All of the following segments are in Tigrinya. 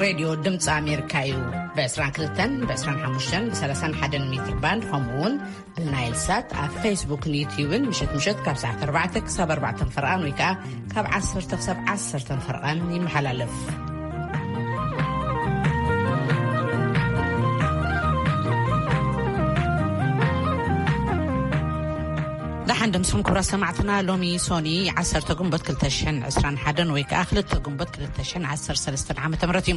ሬድዮ ድምፂ ኣሜሪካ እዩ። ብ22፣ ብ25፣ ብ31 ሜትር ባንድ፣ ከምኡ እውን ብናይል ሳት ኣብ ፌስቡክን ዩትዩብን ምሸት ምሸት ካብ ሰዓት ኣርባዕተ ክሳብ ኣርባዕተ ፈርቓን ወይ ከዓ ካብ ዓሰርተ ክሳብ ዓሰርተ ፈርቓን ይመሓላለፍ። ደሓን ደምስኹም ክቡራት ሰማዕትና። ሎሚ ሶኒ ዓሰርተ ግንቦት ክልተ ሽሕን ዕስራን ሓደን ወይ ከዓ ክልተ ግንቦት ክልተ ሽሕን ዓሰርተ ሰለስተን ዓመተ ምህረት እዩ።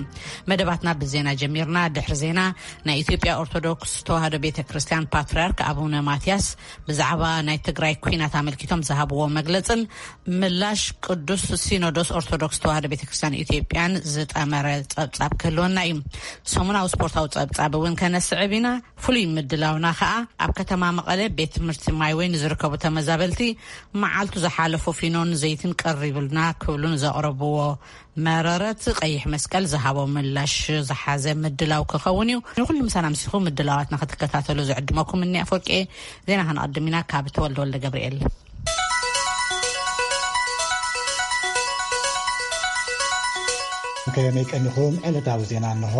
መደባትና ብዜና ጀሚርና። ድሕሪ ዜና፣ ናይ ኢትዮጵያ ኦርቶዶክስ ተዋህዶ ቤተ ክርስቲያን ፓትርያርክ ኣቡነ ማትያስ ብዛዕባ ናይ ትግራይ ኲናት ኣመልኪቶም ዝሃብዎ መግለጽን ምላሽ ቅዱስ ሲኖዶስ ኦርቶዶክስ ተዋህዶ ቤተ ክርስቲያን ኢትዮጵያን ዝጠመረ ጸብጻብ ክህልወና እዩ። ሰሙናዊ ስፖርታዊ ጸብጻብ እውን ከነስዕብ ኢና። ፍሉይ ምድላውና ከኣ ኣብ ከተማ መቐለ ቤት ትምህርቲ ማይወይ ንዝርከቡ ተመዛበልቲ መዓልቱ ዝሓለፎ ፊኖን ዘይትን ቀሪብልና ክብሉን ዘቕረብዎ መረረት ቀይሕ መስቀል ዝሃቦ ምላሽ ዝሓዘ ምድላው ክኸውን እዩ። ንኹሉ ምሳና ምሲኹ ምድላዋትና ክትከታተሉ ዝዕድመኩም እኒ ኣፈወርቂ። ዜና ከነቐድም ኢና ካብ ተወልደ ወልደ ገብርኤል። ከመይ ቀኒኹም? ዕለታዊ ዜና እንሆ።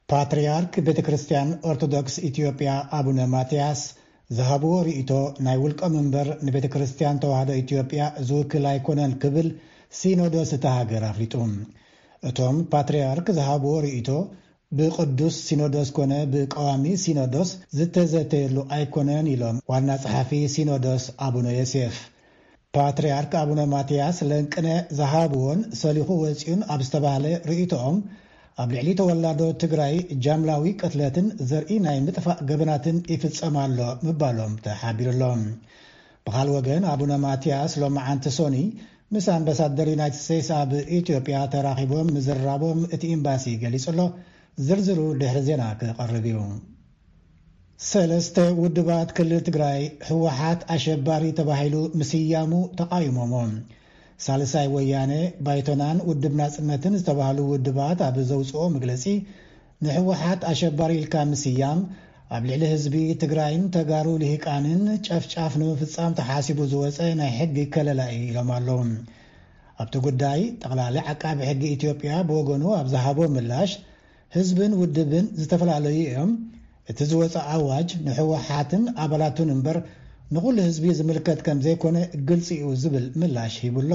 ፓትርያርክ ቤተ ክርስቲያን ኦርቶዶክስ ኢትዮጵያ ኣቡነ ማትያስ ዝሃብዎ ርእይቶ ናይ ውልቆም እምበር ንቤተ ክርስቲያን ተዋህዶ ኢትዮጵያ ዝውክል ኣይኮነን ክብል ሲኖዶስ እታ ሃገር ኣፍሊጡ። እቶም ፓትርያርክ ዝሃብዎ ርእይቶ ብቅዱስ ሲኖዶስ ኮነ ብቀዋሚ ሲኖዶስ ዝተዘተየሉ ኣይኮነን ኢሎም ዋና ጸሓፊ ሲኖዶስ ኣቡነ ዮሴፍ። ፓትርያርክ ኣቡነ ማትያስ ለንቅነ ዝሃብዎን ሰሊኹ ወጺኡን ኣብ ዝተባህለ ርእይቶኦም፣ ኣብ ልዕሊ ተወላዶ ትግራይ ጃምላዊ ቅትለትን ዘርኢ ናይ ምጥፋእ ገበናትን ይፍጸም ኣሎ ምባሎም ተሓቢሩ ኣሎ። ብኻል ወገን ኣቡነ ማትያስ ሎማዓንቲ ሶኒ ምስ ኣምባሳደር ዩናይትድ ስቴትስ ኣብ ኢትዮጵያ ተራኺቦም ምዝራቦም እቲ ኤምባሲ ገሊጹ ኣሎ። ዝርዝሩ ድሕሪ ዜና ክቐርብ እዩ። ሰለስተ ውድባት ክልል ትግራይ ህወሓት ኣሸባሪ ተባሂሉ ምስያሙ ተቓዊሞሞ። ሳልሳይ ወያነ፣ ባይቶናን ውድብ ናጽነትን ዝተባህሉ ውድባት ኣብ ዘውፅኦ መግለፂ፣ ንህወሓት ኣሸባሪ ኢልካ ምስያም ኣብ ልዕሊ ህዝቢ ትግራይን ተጋሩ ልሂቃንን ጨፍጫፍ ንምፍፃም ተሓሲቡ ዝወፀ ናይ ሕጊ ከለላ እዩ ኢሎም ኣለዉ። ኣብቲ ጉዳይ ጠቕላሊ ዓቃቢ ሕጊ ኢትዮጵያ ብወገኑ ኣብ ዝሃቦ ምላሽ፣ ህዝብን ውድብን ዝተፈላለዩ እዮም። እቲ ዝወፀ ኣዋጅ ንህወሓትን ኣባላቱን እምበር ንኹሉ ህዝቢ ዝምልከት ከም ዘይኮነ ግልፂ እዩ ዝብል ምላሽ ሂቡ ኣሎ።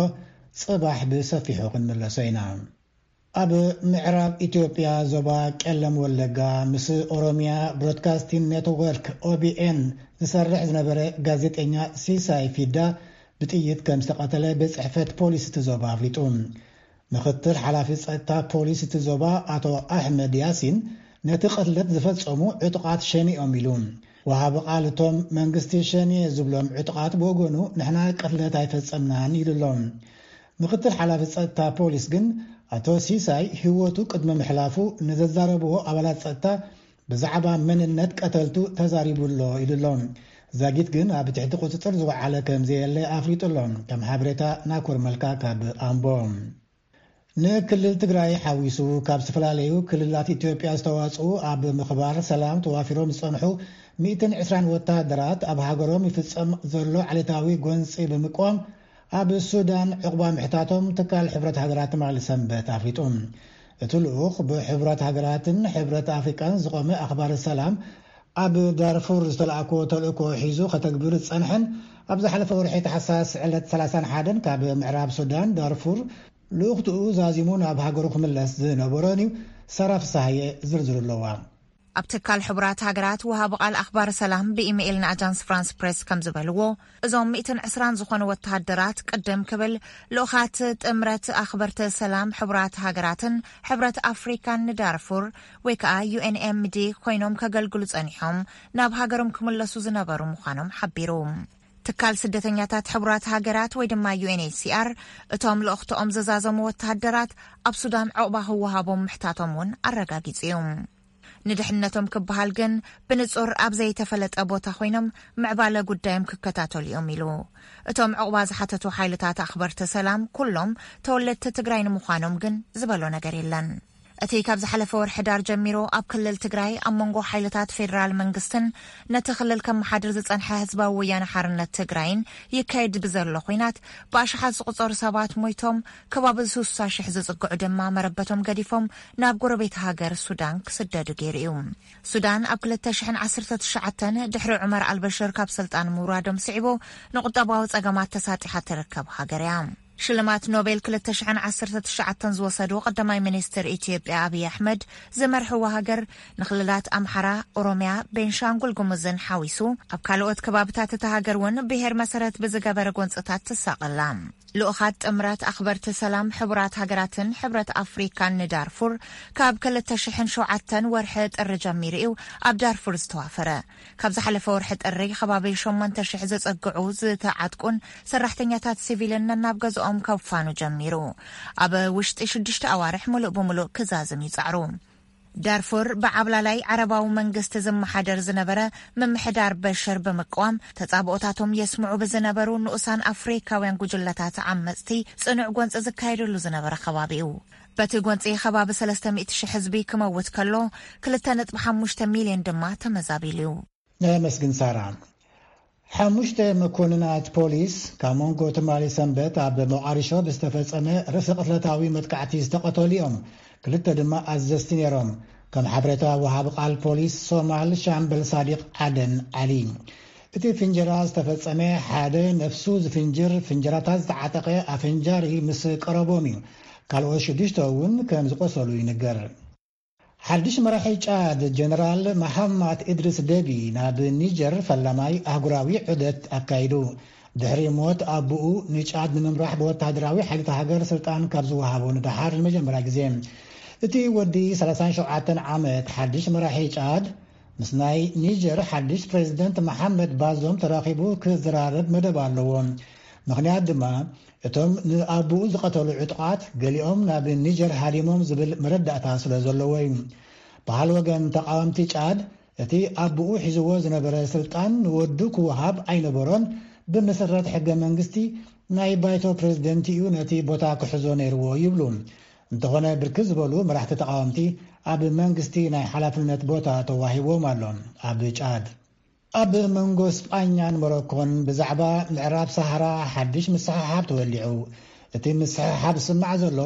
ጽባሕ ብሰፊሑ ክንምለሶ ኢና። ኣብ ምዕራብ ኢትዮጵያ ዞባ ቄለም ወለጋ ምስ ኦሮሚያ ብሮድካስቲንግ ኔትወርክ፣ ኦቢኤን፣ ዝሰርሕ ዝነበረ ጋዜጠኛ ሲሳይ ፊዳ ብጥይት ከም ዝተቐተለ ቤት ጽሕፈት ፖሊስ እቲ ዞባ ኣፍሊጡ። ምክትል ሓላፊ ጸጥታ ፖሊስ እቲ ዞባ ኣቶ ኣሕመድ ያሲን፣ ነቲ ቅትለት ዝፈጸሙ ዕጡቓት ሸኔ እዮም ኢሉ። ወሃቢ ቃል እቶም መንግስቲ ሸኔ ዝብሎም ዕጡቓት ብወገኑ፣ ንሕና ቅትለት ኣይፈጸምናን ኢሉ ኣሎ። ምክትል ሓላፊ ጸጥታ ፖሊስ ግን፣ ኣቶ ሲሳይ ህይወቱ ቅድሚ ምሕላፉ ንዘዛረብዎ ኣባላት ጸጥታ ብዛዕባ መንነት ቀተልቱ ተዛሪቡ ኣሎ ኢሉ ኣሎ። ዛጊት ግን ኣብ ትሕቲ ቁጽጽር ዝወዓለ ከም ዘየለ ኣፍሊጡ ኣሎ። ከም ሓበሬታ ናኮር መልካ ካብ ኣምቦ። ንክልል ትግራይ ሓዊሱ ካብ ዝተፈላለዩ ክልላት ኢትዮጵያ ዝተዋጽኡ ኣብ ምኽባር ሰላም ተዋፊሮም ዝጸንሑ ሚእትን ዕስራን ወተሃደራት ኣብ ሃገሮም ይፍጸም ዘሎ ዓሌታዊ ጎንጺ ብምቅዋም ኣብ ሱዳን ዕቑባ ምሕታቶም ትካል ሕብረት ሃገራት ትማሊ ሰንበት ኣፍሊጡ። እቲ ልኡኽ ብሕቡራት ሃገራትን ሕብረት ኣፍሪቃን ዝቖመ ኣኽባሪ ሰላም ኣብ ዳርፉር ዝተላእኮ ተልእኮ ሒዙ ከተግብር ዝጸንሐን ኣብ ዝሓለፈ ወርሒ ታሕሳስ ዕለት ሰላሳን ሓደን ካብ ምዕራብ ሱዳን ዳርፉር ልኡኽትኡ ዛዚሙ ናብ ሃገሩ ክምለስ ዝነበሮን እዩ። ሳራ ፍሳሃየ ዝርዝሩ ኣለዋ። ኣብ ትካል ሕቡራት ሃገራት ወሃቢ ቃል ኣኽባር ሰላም ብኢሜይል ንኣጃንስ ፍራንስ ፕሬስ ከም ዝበልዎ፣ እዞም ሚእትን ዕስራን ዝኾኑ ወተሃደራት ቅድም ክብል ልኡኻት ጥምረት ኣኽበርቲ ሰላም ሕቡራት ሃገራትን ሕብረት ኣፍሪካን ንዳርፉር ወይ ከዓ ዩ ኤን ኤም ዲ ኮይኖም ከገልግሉ ጸኒሖም ናብ ሃገሮም ክምለሱ ዝነበሩ ምዃኖም ሓቢሩ። ትካል ስደተኛታት ሕቡራት ሃገራት ወይ ድማ ዩ ኤን ኤች ሲ ኣር እቶም ልኡኽትኦም ዘዛዘሙ ወተሃደራት ኣብ ሱዳን ዕቑባ ክወሃቦም ምሕታቶም እውን ኣረጋጊጹ እዩ። ንድሕነቶም ክበሃል ግን ብንጹር ኣብ ዘይተፈለጠ ቦታ ኮይኖም ምዕባለ ጉዳዮም ክከታተሉ እዮም ኢሉ። እቶም ዕቑባ ዝሓተቱ ሓይልታት ኣኽበርቲ ሰላም ኩሎም ተወለድቲ ትግራይ ንምዃኖም ግን ዝበሎ ነገር የለን። እቲ ካብ ዝሓለፈ ወርሒ ዳር ጀሚሩ ኣብ ክልል ትግራይ ኣብ መንጎ ሓይልታት ፌዴራል መንግስትን ነቲ ክልል ከመሓድር ዝጸንሐ ህዝባዊ ወያነ ሓርነት ትግራይን ይካየድ ብዘሎ ኹናት ብኣሽሓት ዝቑጸሩ ሰባት ሞይቶም፣ ከባቢ ስሳ ሽሕ ዝጽግዑ ድማ መረበቶም ገዲፎም ናብ ጎረቤት ሃገር ሱዳን ክስደዱ ገይሩ እዩ። ሱዳን ኣብ ክልተ ሽሕን ዓሰርተ ትሽዓተን ድሕሪ ዑመር ኣልበሽር ካብ ስልጣን ምውራዶም ስዒቡ ንቁጠባዊ ጸገማት ተሳጢሓ ትርከብ ሃገር እያ። ሽልማት ኖቤል ክልተ ሽሕን ዓሰርተ ትሽዓተን ዝወሰዱ ቀዳማይ ሚኒስትር ኢትዮጵያ ኣብይ ኣሕመድ ዝመርሕዋ ሃገር ንክልላት ኣምሓራ፣ ኦሮሚያ፣ ቤንሻንጉል ጉሙዝን ሓዊሱ ኣብ ካልኦት ከባብታት እታ ሃገር እውን ብሄር መሰረት ብዝገበረ ጎንፅታት ትሳቐላ። ልኡኻት ጥምረት ኣኽበርቲ ሰላም ሕቡራት ሃገራትን ሕብረት ኣፍሪካን ንዳርፉር ካብ ክልተ ሽሕን ሸውዓተን ወርሒ ጥሪ ጀሚሩ እዩ ኣብ ዳርፉር ዝተዋፈረ። ካብ ዝሓለፈ ወርሒ ጥሪ ከባቢ ሸሞንተ ሽሕ ዘጸግዑ ዝተዓጥቁን ሰራሕተኛታት ሲቪልን ነናብ ገዝኦም ከፋኑ ጀሚሩ። ኣብ ውሽጢ ሽዱሽተ ኣዋርሕ ምሉእ ብምሉእ ክዛዝም ይጻዕሩ። ዳርፉር ብዓብላላይ ዓረባዊ መንግስቲ ዝመሓደር ዝነበረ ምምሕዳር በሽር ብምቅዋም ተጻብኦታቶም የስምዑ ብዝነበሩ ንኡሳን ኣፍሪካውያን ጉጅለታት ዓመጽቲ ጽኑዕ ጎንጺ ዝካየደሉ ዝነበረ ከባቢ እዩ። በቲ ጎንጺ ከባቢ ሰለስተ ሚእቲ ሽሕ ህዝቢ ክመውት ከሎ፣ ክልተ ነጥቢ ሓሙሽተ ሚልዮን ድማ ተመዛቢሉ እዩ። ነመስግን ሳራ። ሓሙሽተ መኮንናት ፖሊስ ካብ መንጎ ትማሊ ሰንበት ኣብ ሞቓዲሾ ብዝተፈጸመ ርእሰ ቅትለታዊ መጥቃዕቲ ዝተቐተሉ እዮም። ክልተ ድማ ኣዘዝቲ ነይሮም። ከም ሓበሬታ ወሃቢ ቃል ፖሊስ ሶማል ሻምበል ሳዲቕ ዓደን ዓሊ፣ እቲ ፍንጀራ ዝተፈጸመ ሓደ ነፍሱ ዝፍንጅር ፍንጀራታት ዝተዓጠቐ ኣፈንጃሪ ምስ ቀረቦም እዩ። ካልኦት ሽዱሽተ እውን ከም ዝቆሰሉ ይንገር። ሓድሽ መራሒ ጫድ ጀነራል መሓማት ኢድሪስ ደቢ ናብ ኒጀር ፈላማይ ኣህጉራዊ ዑደት ኣካይዱ። ድሕሪ ሞት ኣቡኡ፣ ንጫድ ንምምራሕ ብወታደራዊ ሓይልታት ሃገር ስልጣን ካብ ዝወሃቦ ንደሓር ንመጀመርያ ግዜ። እቲ ወዲ ሰላሳን ሸውዓተን ዓመት ሓድሽ መራሒ ጫድ ምስ ናይ ኒጀር ሓድሽ ፕሬዝደንት መሓመድ ባዞም ተራኺቡ ክዘራረብ መደብ ኣለዎ። ምኽንያት ድማ እቶም ንኣቡኡ ዝቐተሉ ዕጡቓት ገሊኦም ናብ ኒጀር ሃዲሞም ዝብል መረዳእታ ስለ ዘለዎ እዩ። በሃል ወገን ተቓወምቲ ጫድ እቲ ኣቡኡ ሒዝዎ ዝነበረ ስልጣን ንወዱ ክወሃብ ኣይነበሮን። ብመሰረት ሕገ መንግስቲ ናይ ባይቶ ፕሬዝደንት እዩ ነቲ ቦታ ክሕዞ ነይርዎ ይብሉ። እንተኾነ ብርክት ዝበሉ መራሕቲ ተቓወምቲ ኣብ መንግስቲ ናይ ሓላፍነት ቦታ ተዋሂቦም ኣሎ። ኣብ ጫድ ኣብ መንጎ ስጳኛን ሞሮኮን ብዛዕባ ምዕራብ ሰሃራ ሓድሽ ምስሕሓብ ተወሊዑ። እቲ ምስሕሓብ ዝስማዕ ዘሎ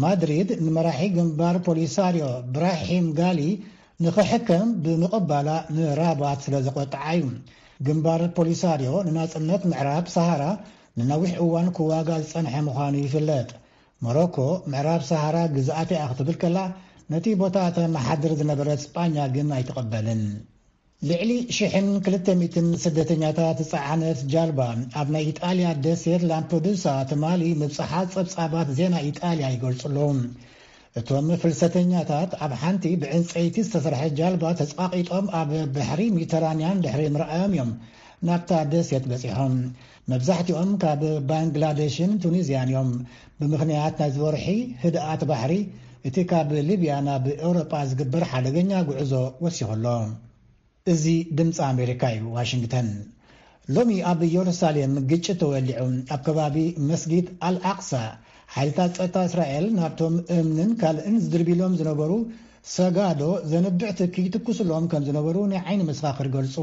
ማድሪድ ንመራሒ ግንባር ፖሊሳርዮ ብራሂም ጋሊ ንኽሕከም ብምቕባላ ንራባት ስለ ዘቖጥዓ እዩ። ግንባር ፖሊሳርዮ ንናጽነት ምዕራብ ሰሃራ ንነዊሕ እዋን ክዋጋእ ዝጸንሐ ምዃኑ ይፍለጥ። ሞሮኮ ምዕራብ ሰሃራ ግዝኣት እያ ክትብል ከላ፣ ነቲ ቦታ ተመሓድር ዝነበረት ስጳኛ ግን ኣይትቕበልን። ልዕሊ ሽሕን ክልተ ሚእትን ስደተኛታት ዝጸዓነት ጃልባ ኣብ ናይ ኢጣልያ ደሴት ላምፐዱሳ ትማሊ ምብጽሓ ጸብጻባት ዜና ኢጣልያ ይገልጹ ኣለዉ። እቶም ፍልሰተኛታት ኣብ ሓንቲ ብዕንጸይቲ ዝተሰርሐት ጃልባ ተጻቒጦም ኣብ ባሕሪ ሜዲተራንያን ድሕሪ ምርኣዮም እዮም ናብታ ደሴት በጺሖም። መብዛሕትኦም ካብ ባንግላደሽን ቱኒዝያን እዮም። ብምኽንያት ናይዚ ወርሒ ህድኣት ባሕሪ፣ እቲ ካብ ሊብያ ናብ ኤውሮጳ ዝግበር ሓደገኛ ጉዕዞ ወሲኹ ኣሎ። እዚ ድምፂ ኣሜሪካ እዩ፣ ዋሽንግተን። ሎሚ ኣብ ኢየሩሳሌም ግጭት ተወሊዑ። ኣብ ከባቢ መስጊድ ኣልኣቅሳ፣ ሓይልታት ጸጥታ እስራኤል ናብቶም እምንን ካልእን ዝድርብሎም ዝነበሩ ሰጋዶ ዘንብዕ ትኪ ይትኩስሎም ከም ዝነበሩ ናይ ዓይኒ መሰኻኽር ገልጹ።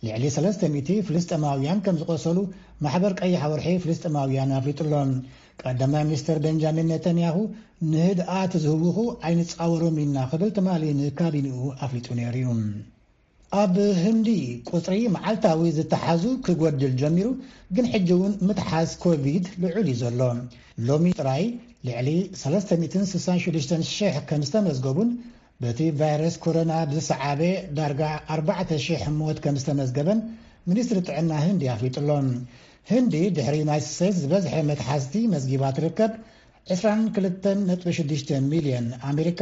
ልዕሊ ሰለስተ ሚእቲ ፍልስጤማውያን ከም ዝቆሰሉ ማሕበር ቀይሕ ወርሒ ፍልስጤማውያን ኣፍሊጡሎም። ቀዳማይ ሚኒስትር ቤንጃሚን ኔታንያሁ፣ ንህድኣት ዝህውኹ ኣይንጻወሮም ኢና ክብል ትማሊ ንካቢኒኡ ኣፍሊጡ ነይሩ እዩ። ኣብ ህንዲ ቁጽሪ መዓልታዊ ዝተሓዙ ክጎድል ጀሚሩ፣ ግን ሕጂ እውን ምትሓዝ ኮቪድ ልዑል እዩ ዘሎ። ሎሚ ጥራይ ልዕሊ ሰለስተ ሚእትን ስሳን ሽዱሽተን ሽሕ ከም ዝተመዝገቡን በቲ ቫይረስ ኮሮና ብዝሰዓበ ዳርጋ ኣርባዕተ ሽሕ ሞት ከም ዝተመዝገበን ሚኒስትሪ ጥዕና ህንዲ ኣፍሊጡ ኣሎ። ህንዲ ድሕሪ ዩናይትድ ስቴትስ ዝበዝሐ መትሓዝቲ መዝጊባ ትርከብ። ዕስራን ክልተን ነጥቢ ሽዱሽተ ሚልዮን፣ ኣሜሪካ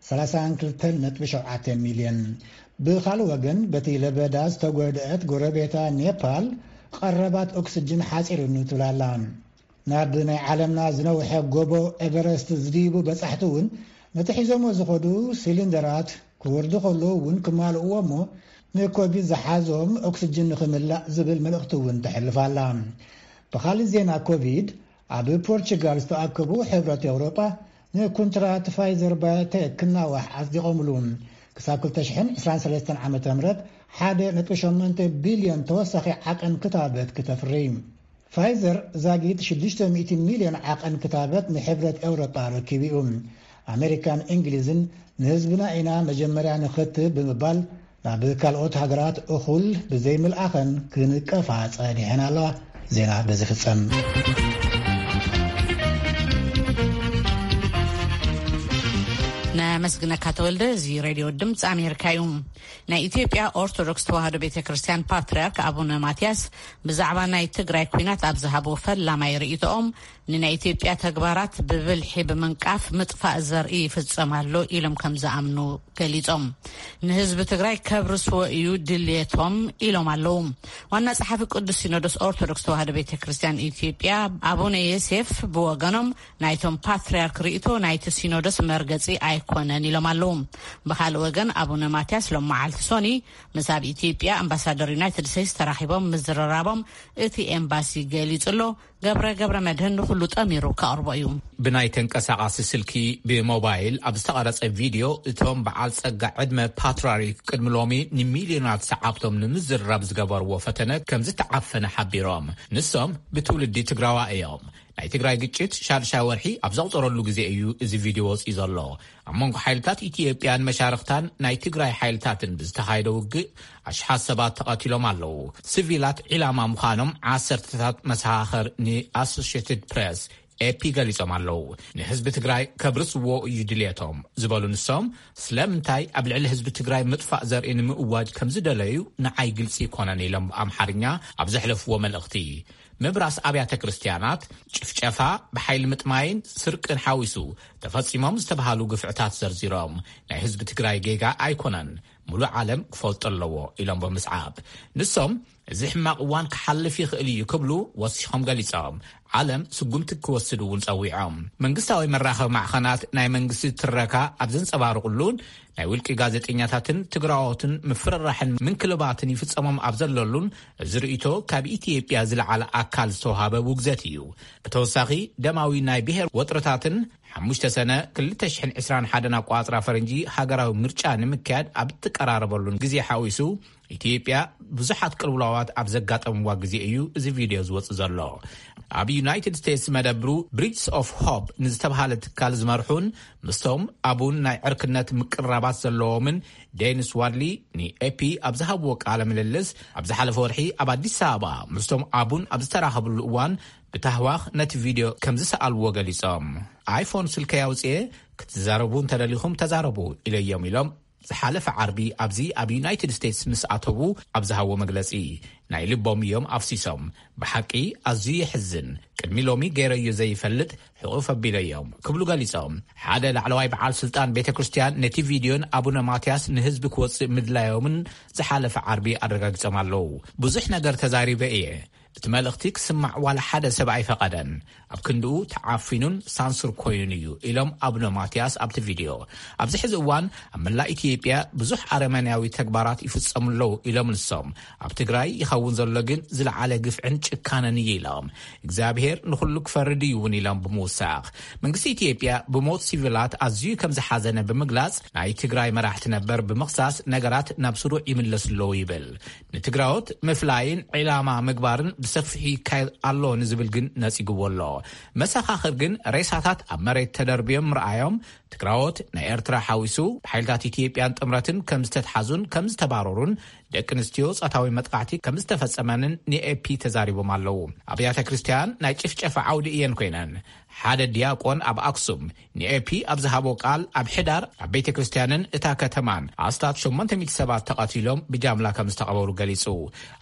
ሰላሳን ክልተን ነጥቢ ሸውዓተ ሚልዮን። ብኻልእ ወገን፣ በቲ ለበዳ ዝተጎድአት ጎረቤታ ኔፓል ቀረባት ኦክስጅን ሓጺሩኒ ትብል ኣላ። ናብ ናይ ዓለምና ዝነውሐ ጎቦ ኤቨረስት ዝድይቡ በጻሕቲ እውን ነቲ ሒዞሞ ዝኸዱ ሲሊንደራት ክወርዱ ከለዉ እውን ክማልእዎ እሞ ንኮቪድ ዝሓዞም ኦክስጅን ንኽምላእ ዝብል መልእኽቲ እውን ተሕልፍ ኣላ። ብኻልእ ዜና ኮቪድ፣ ኣብ ፖርቹጋል ዝተኣከቡ ሕብረት ኤውሮጳ ንኩንትራት ፋይዘር ባዮቴክ ክናዋሕ ኣጽዲቖምሉ። ክሳብ ክልተ ሽሕን ዕስራን ሰለስተን ዓመተ ምህረት ሓደ ነጥቢ ሸሞንተ ቢልዮን ተወሳኺ ዓቐን ክታበት ክተፍሪ። ፋይዘር ዛጊት ሽዱሽተ ሚእቲ ሚልዮን ዓቐን ክታበት ንሕብረት ኤውሮጳ ረኪቡ እዩ። ኣሜሪካን እንግሊዝን ንህዝብና ኢና መጀመርያ ንኽትብ ብምባል ናብ ካልኦት ሃገራት እኹል ብዘይምልኣኸን ክንቀፋ ጸኒሐን ኣለዋ። ዜና በዚ ፍጸም። ነመስግነካ ተወልደ። እዚ ሬድዮ ድምፂ ኣሜሪካ እዩ። ናይ ኢትዮጵያ ኦርቶዶክስ ተዋህዶ ቤተ ክርስቲያን ፓትርያርክ ኣቡነ ማትያስ ብዛዕባ ናይ ትግራይ ኲናት ኣብ ዝሃብዎ ፈላማይ ርእይቶኦም፣ ንናይ ኢትዮጵያ ተግባራት ብብልሒ ብምንቃፍ ምጥፋእ ዘርኢ ይፍጸም ኣሎ ኢሎም ከም ዝኣምኑ ገሊጾም። ንህዝቢ ትግራይ ከብርስዎ እዩ ድልየቶም ኢሎም ኣለዉ። ዋና ጸሓፊ ቅዱስ ሲኖዶስ ኦርቶዶክስ ተዋህዶ ቤተ ክርስቲያን ኢትዮጵያ ኣቡነ ዮሴፍ ብወገኖም፣ ናይቶም ፓትርያርክ ርእይቶ ናይቲ ሲኖዶስ መርገጺ ኣይኮነን ኢሎም ኣለዉ። ብኻልእ ወገን ኣቡነ ማትያስ ሎም መዓልቲ ሶኒ ምስ ኣብ ኢትዮጵያ ኣምባሳደር ዩናይትድ ስቴትስ ተራኺቦም ምዝርራቦም እቲ ኤምባሲ ገሊጹ ኣሎ። ገብረ ገብረ መድህን ንኹሉ ጠሚሩ ከቕርቦ እዩ። ብናይ ተንቀሳቓሲ ስልኪ ብሞባይል ኣብ ዝተቐረጸ ቪድዮ፣ እቶም በዓል ጸጋ ዕድመ ፓትርያርክ ቅድሚ ሎሚ ንሚልዮናት ሰዓብቶም ንምዝርራብ ዝገበርዎ ፈተነ ከም ዝተዓፈነ ሓቢሮም። ንሶም ብትውልዲ ትግራዋ እዮም። ናይ ትግራይ ግጭት ሻድሻይ ወርሒ ኣብ ዘቑጸረሉ ግዜ እዩ እዚ ቪድዮ ወጺኡ ዘሎ። ኣብ መንጎ ሓይልታት ኢትዮጵያን መሻርኽታን ናይ ትግራይ ሓይልታትን ብዝተኻየደ ውግእ ኣሽሓት ሰባት ተቐቲሎም ኣለዉ። ሲቪላት ዒላማ ምዃኖም ዓሰርተታት መሰኻኽር ንኣሶሽየትድ ፕሬስ፣ ኤፒ፣ ገሊጾም ኣለዉ። ንህዝቢ ትግራይ ከብርስዎ እዩ ድልየቶም ዝበሉ ንሶም፣ ስለምንታይ ኣብ ልዕሊ ህዝቢ ትግራይ ምጥፋእ ዘርኢ ንምእዋጅ ከም ዝደለዩ ንዓይ ግልጺ ኣይኮነን ኢሎም ብኣምሓርኛ ኣብ ዘሕለፍዎ መልእኽቲ። ምብራስ ኣብያተ ክርስትያናት፣ ጭፍጨፋ፣ ብሓይሊ ምጥማይን ስርቅን ሓዊሱ ተፈጺሞም ዝተባሃሉ ግፍዕታት ዘርዚሮም፣ ናይ ህዝቢ ትግራይ ጌጋ ኣይኮነን፣ ሙሉእ ዓለም ክፈልጦ ኣለዎ ኢሎም ብምስዓብ፣ ንሶም እዚ ሕማቕ እዋን ክሓልፍ ይኽእል እዩ ክብሉ ወሲኾም ገሊጾም። ዓለም ስጉምቲ ክወስድ እውን ጸዊዖም። መንግስታዊ መራኸቢ ማዕኸናት ናይ መንግስቲ ትረካ ኣብ ዘንጸባርቑሉን ናይ ውልቂ ጋዜጠኛታትን ትግራዎትን ምፍርራሕን ምንክልባትን ይፍጸሞም ኣብ ዘለሉን፣ እዚ ርእይቶ ካብ ኢትዮጵያ ዝለዓለ ኣካል ዝተዋሃበ ውግዘት እዩ። ብተወሳኺ፣ ደማዊ ናይ ብሔር ወጥርታትን ሓሙሽተ ሰነ ክልተ ሽሕን ዕስራን ሓደን ኣቋጽራ ፈረንጂ ሃገራዊ ምርጫ ንምክያድ ኣብ እትቀራረበሉን ግዜ ሓዊሱ፣ ኢትዮጵያ ብዙሓት ቅልውላዋት ኣብ ዘጋጠምዋ ግዜ እዩ እዚ ቪድዮ ዝወጽእ ዘሎ። ኣብ ዩናይትድ ስቴትስ መደብሩ ብሪጅስ ኦፍ ሆፕ ንዝተባሃለ ትካል ዝመርሑን ምስቶም ኣቡን ናይ ዕርክነት ምቅርራባት ዘለዎምን ዴኒስ ዋድሊ ንኤፒ ኣብ ዝሃብዎ ቃለ ምልልስ፣ ኣብ ዝሓለፈ ወርሒ ኣብ ኣዲስ ኣበባ ምስቶም ኣቡን ኣብ ዝተራኸብሉ እዋን ብታህዋኽ ነቲ ቪድዮ ከም ዝሰኣልዎ ገሊጾም። ኣይፎን ስልከይ ኣውጽኤ፣ ክትዛረቡ እንተደሊኹም ተዛረቡ ኢለዮም ኢሎም ዝሓለፈ ዓርቢ ኣብዚ ኣብ ዩናይትድ ስቴትስ ምስ ኣተዉ ኣብ ዝሃብዎ መግለጺ፣ ናይ ልቦም እዮም ኣፍሲሶም። ብሓቂ ኣዝዩ የሕዝን። ቅድሚ ሎሚ ገይረዮ ዘይፈልጥ ሕቑፍ ኣቢለዮም ክብሉ ገሊጾም። ሓደ ላዕለዋይ በዓል ስልጣን ቤተ ክርስቲያን ነቲ ቪድዮን ኣቡነ ማትያስ ንህዝቢ ክወጽእ ምድላዮምን ዝሓለፈ ዓርቢ ኣረጋጊጾም ኣለዉ። ብዙሕ ነገር ተዛሪበ እየ። እቲ መልእኽቲ ክስማዕ ዋላ ሓደ ሰብ ኣይፈቐደን። ኣብ ክንድኡ ተዓፊኑን ሳንሱር ኮይኑን እዩ ኢሎም ኣቡነ ማትያስ ኣብቲ ቪድዮ። ኣብዚ ሕዚ እዋን ኣብ መላእ ኢትዮጵያ ብዙሕ ኣረመኔያዊ ተግባራት ይፍጸሙ ኣለዉ ኢሎም ንሶም። ኣብ ትግራይ ይኸውን ዘሎ ግን ዝለዓለ ግፍዕን ጭካነን እዩ ኢሎም። እግዚኣብሔር ንኹሉ ክፈርድ እዩ እውን ኢሎም ብምውሳኽ፣ መንግስቲ ኢትዮጵያ ብሞት ሲቪላት ኣዝዩ ከም ዝሓዘነ ብምግላጽ፣ ናይ ትግራይ መራሕቲ ነበር ብምኽሳስ ነገራት ናብ ስሩዕ ይምለሱ ኣለዉ ይብል። ንትግራዎት ምፍላይን ዒላማ ምግባርን ብሰፊሑ ይካየድ ኣሎ ንዝብል ግን ነጺግዎ ኣሎ። መሰኻኽር ግን ሬሳታት ኣብ መሬት ተደርብዮም ምርኣዮም፣ ትግራዎት ናይ ኤርትራ ሓዊሱ ብሓይልታት ኢትዮጵያን ጥምረትን ከም ዝተትሓዙን ከም ዝተባረሩን፣ ደቂ ኣንስትዮ ጾታዊ መጥቃዕቲ ከም ዝተፈጸመንን ንኤፒ ተዛሪቦም ኣለዉ። ኣብያተ ክርስትያን ናይ ጭፍጨፋ ዓውዲ እየን ኮይነን። ሓደ ዲያቆን ኣብ ኣክሱም ንኤፒ ኣብ ዝሃቦ ቃል፣ ኣብ ሕዳር ኣብ ቤተ ክርስትያንን እታ ከተማን ኣስታት ሸሞንተ ሚእቲ ሰባት ተቐቲሎም ብጃምላ ከም ዝተቐበሩ ገሊጹ።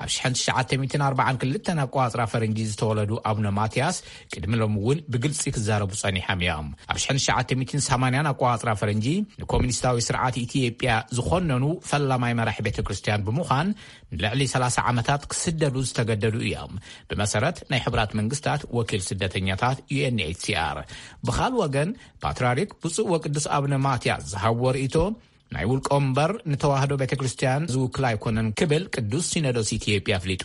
ኣብ ሽሕን ትሽዓተ ሚእትን ኣርባዓን ክልተን ኣቋጽራ ፈረንጂ ዝተወለዱ ኣቡነ ማትያስ ቅድሚ ሎም እውን ብግልጺ ክዛረቡ ጸኒሖም እዮም። ኣብ ሽሕን ትሽዓተ ሚእትን ሰማንያን ኣቋጽራ ፈረንጂ ንኮሚኒስታዊ ስርዓት ኢትዮጵያ ዝኾነኑ ፈላማይ መራሒ ቤተ ክርስትያን ብምዃን ንልዕሊ ሰላሳ ዓመታት ክስደዱ ዝተገደዱ እዮም። ብመሰረት ናይ ሕቡራት መንግስታት ወኪል ስደተኛታት ዩ ኤን ኤች ሲ ኣር። ብኻል ወገን ፓትርያርክ ብፁዕ ወቅዱስ ኣቡነ ማትያስ ዝሃብዎ ርእይቶ ናይ ውልቆም እምበር ንተዋህዶ ቤተ ክርስቲያን ዝውክል ኣይኮነን ክብል ቅዱስ ሲኖዶስ ኢትዮጵያ ኣፍሊጡ።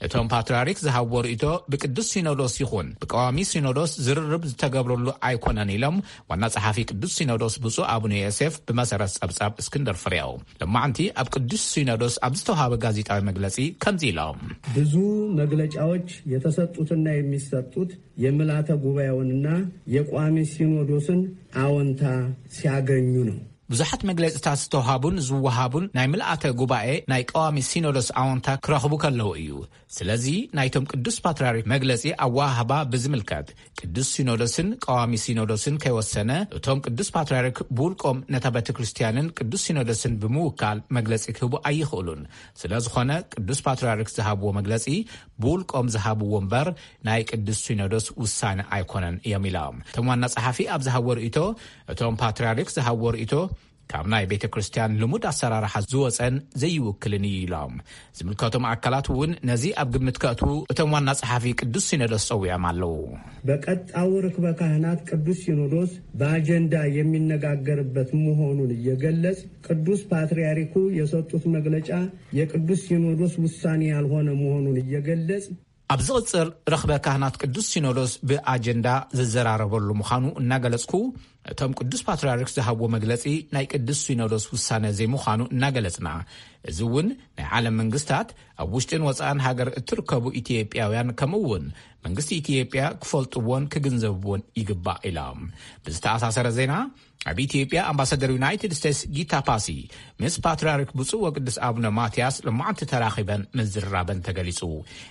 እቶም ፓትርያርክ ዝሃብዎ ርእይቶ ብቅዱስ ሲኖዶስ ይኹን ብቀዋሚ ሲኖዶስ ዝርርብ ዝተገብረሉ ኣይኮነን ኢሎም ዋና ጸሓፊ ቅዱስ ሲኖዶስ ብፁዕ ኣቡነ ዮሴፍ ብመሰረት ጸብጻብ እስክንድር ፍሬው። ሎማዕንቲ ኣብ ቅዱስ ሲኖዶስ ኣብ ዝተዋሃበ ጋዜጣዊ መግለጺ ከምዚ ኢሎም። ብዙ መግለጫዎች የተሰጡትና የሚሰጡት የምልዓተ ጉባኤውንና የቋሚ ሲኖዶስን አዎንታ ሲያገኙ ነው። ብዙሓት መግለጽታት ዝተውሃቡን ዝወሃቡን ናይ ምልኣተ ጉባኤ ናይ ቀዋሚ ሲኖዶስ ኣዎንታ ክረኽቡ ከለዉ እዩ። ስለዚ ናይቶም ቅዱስ ፓትርያርክ መግለጺ ኣወሃህባ ብዝምልከት ቅዱስ ሲኖዶስን ቀዋሚ ሲኖዶስን ከይወሰነ እቶም ቅዱስ ፓትርያርክ ብውልቆም ነታ ቤተ ክርስቲያንን ቅዱስ ሲኖዶስን ብምውካል መግለጺ ክህቡ ኣይኽእሉን። ስለ ዝኾነ ቅዱስ ፓትርያርክ ዝሃብዎ መግለጺ ብውልቆም ዝሃብዎ እምበር ናይ ቅዱስ ሲኖዶስ ውሳነ ኣይኮነን እዮም ኢሎም። እቶም ዋና ጸሓፊ ኣብ ዝሃብዎ ርእይቶ እቶም ፓትርያርክ ዝሃብዎ ርእይቶ ካብ ናይ ቤተ ክርስቲያን ልሙድ ኣሰራርሓ ዝወፀን ዘይውክልን እዩ ኢሎም። ዝምልከቶም ኣካላት እውን ነዚ ኣብ ግምት ከእትዉ እቶም ዋና ጸሓፊ ቅዱስ ሲኖዶስ ጸዊዖም ኣለዉ። በቀጣው ርክበ ካህናት ቅዱስ ሲኖዶስ በአጀንዳ የሚነጋገርበት መሆኑን እየገለጽ ቅዱስ ፓትርያርኩ የሰጡት መግለጫ የቅዱስ ሲኖዶስ ውሳኔ ያልሆነ መሆኑን እየገለጽ ኣብ ዝቕጽል ረኽበ ካህናት ቅዱስ ሲኖዶስ ብኣጀንዳ ዝዘራረበሉ ምዃኑ እናገለጽኩ፣ እቶም ቅዱስ ፓትርያርክ ዝሃብዎ መግለጺ ናይ ቅዱስ ሲኖዶስ ውሳነ ዘይምዃኑ እናገለጽና፣ እዚ እውን ናይ ዓለም መንግስታት፣ ኣብ ውሽጥን ወጻእን ሃገር እትርከቡ ኢትዮጵያውያን፣ ከምኡ እውን መንግስቲ ኢትዮጵያ ክፈልጥዎን ክግንዘብዎን ይግባእ ኢሎም። ብዝተኣሳሰረ ዜና፣ ኣብ ኢትዮጵያ ኣምባሳደር ዩናይትድ ስቴትስ ጊታ ፓሲ ምስ ፓትርያርክ ብፁዕ ወቅዱስ ኣቡነ ማትያስ ሎማዕንቲ ተራኺበን ምዝርራበን ተገሊጹ።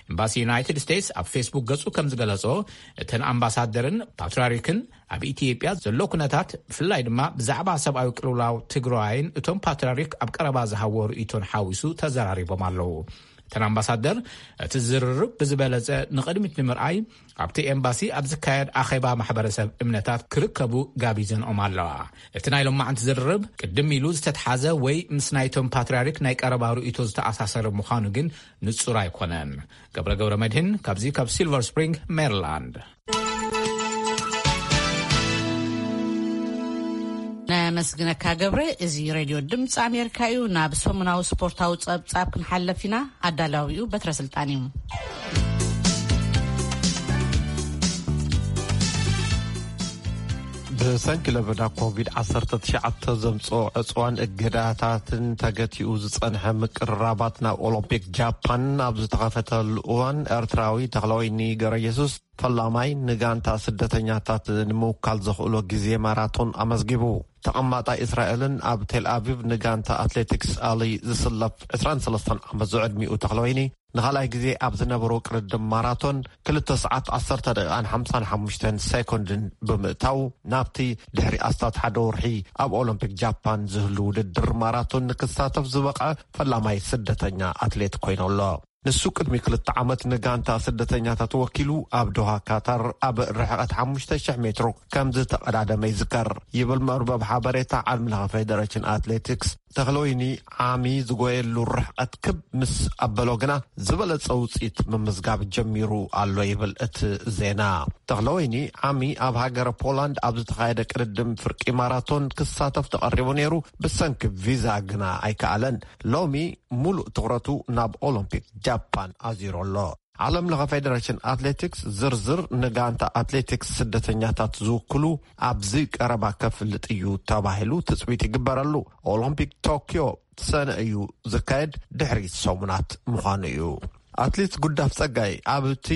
ኤምባሲ ዩናይትድ ስቴትስ ኣብ ፌስቡክ ገጹ ከም ዝገለጾ፣ እተን ኣምባሳደርን ፓትርያርክን ኣብ ኢትዮጵያ ዘሎ ኩነታት፣ ብፍላይ ድማ ብዛዕባ ሰብኣዊ ቅልውላው ትግራይን እቶም ፓትርያርክ ኣብ ቀረባ ዝሃብዎ ርእይቶን ሓዊሱ ተዘራሪቦም ኣለዉ። እተን ኣምባሳደር፣ እቲ ዝርርብ ብዝበለጸ ንቕድሚት ንምርኣይ ኣብቲ ኤምባሲ ኣብ ዝካየድ ኣኼባ ማሕበረሰብ እምነታት ክርከቡ ጋቢዘንኦም ኣለዋ። እቲ ናይ ሎማዕንቲ ዝርርብ ቅድም ኢሉ ዝተትሓዘ ወይ ምስ ናይቶም ፓትርያርክ ናይ ቀረባ ርእይቶ ዝተኣሳሰረ ምዃኑ ግን ንጹር ኣይኮነን። ገብረ ገብረ መድህን ካብዚ ካብ ሲልቨር ስፕሪንግ ሜሪላንድ። ነመስግነካ ገብረ። እዚ ሬድዮ ድምፂ ኣሜሪካ እዩ። ናብ ሰሙናዊ ስፖርታዊ ጸብጻብ ክንሓለፍ ኢና። ኣዳላዊኡ በትረ ስልጣን እዩ። ብሰንኪ ለበዳ ኮቪድ ዓሰርተ ትሽዓተ ዘምፅኦ ዕፅዋን እገዳታትን ተገቲኡ ዝፀንሐ ምቅርራባት ናብ ኦሎምፒክ ጃፓን ኣብ ዝተኸፈተሉ እዋን፣ ኤርትራዊ ተኽለወይኒ ገረየሱስ ፈላማይ ንጋንታ ስደተኛታት ንምውካል ዘኽእሎ ግዜ ማራቶን ኣመዝጊቡ። ተቐማጣይ እስራኤልን ኣብ ቴል ኣቪቭ ንጋንታ ኣትሌቲክስ ኣሊ ዝስለፍ ዕስራን ሰለስተን ዓመት ዝዕድሚኡ ተኽለወይኒ ንኻልኣይ ግዜ ኣብ ዝነበሮ ቅድድም ማራቶን ክልተ ሰዓት ዓሰርተ ደቂቓን ሓምሳን ሓሙሽተን ሴኮንድን ብምእታው፣ ናብቲ ድሕሪ ኣስታት ሓደ ወርሒ ኣብ ኦሎምፒክ ጃፓን ዝህሉ ውድድር ማራቶን ንክሳተፍ ዝበቕዐ ፈላማይ ስደተኛ ኣትሌት ኮይኑ ኣሎ። ንሱ ቅድሚ ክልተ ዓመት ንጋንታ ስደተኛታት ወኪሉ ኣብ ዶሃ ካታር ኣብ ርሕቐት ሓሙሽተ ሽሕ ሜትሮ ከም ዝተቐዳደመ ይዝከር። ይብል መርበብ ሓበሬታ ዓለም ለኸ ፌደሬሽን ኣትሌቲክስ። ተኽለወይኒ ዓሚ ዝጎየሉ ርሕቐት ክብ ምስ ኣበሎ ግና ዝበለጸ ውጽኢት ምምዝጋብ ጀሚሩ ኣሎ ይብል እቲ ዜና። ተኽለወይኒ ዓሚ ኣብ ሃገረ ፖላንድ ኣብ ዝተኻየደ ቅድድም ፍርቂ ማራቶን ክሳተፍ ተቐሪቡ ነይሩ፣ ብሰንኪ ቪዛ ግና ኣይከኣለን። ሎሚ ሙሉእ ትኹረቱ ናብ ኦሎምፒክ ጃፓን ኣዚሩ ኣሎ። ዓለም ለኸ ፌደሬሽን ኣትሌቲክስ ዝርዝር ንጋንታ ኣትሌቲክስ ስደተኛታት ዝውክሉ ኣብዚ ቀረባ ከፍልጥ እዩ ተባሂሉ ትጽቢት ይግበረሉ። ኦሎምፒክ ቶክዮ ሰነ እዩ ዝካየድ፣ ድሕሪ ሰሙናት ምዃኑ እዩ። ኣትሌት ጉዳፍ ጸጋይ ኣብቲ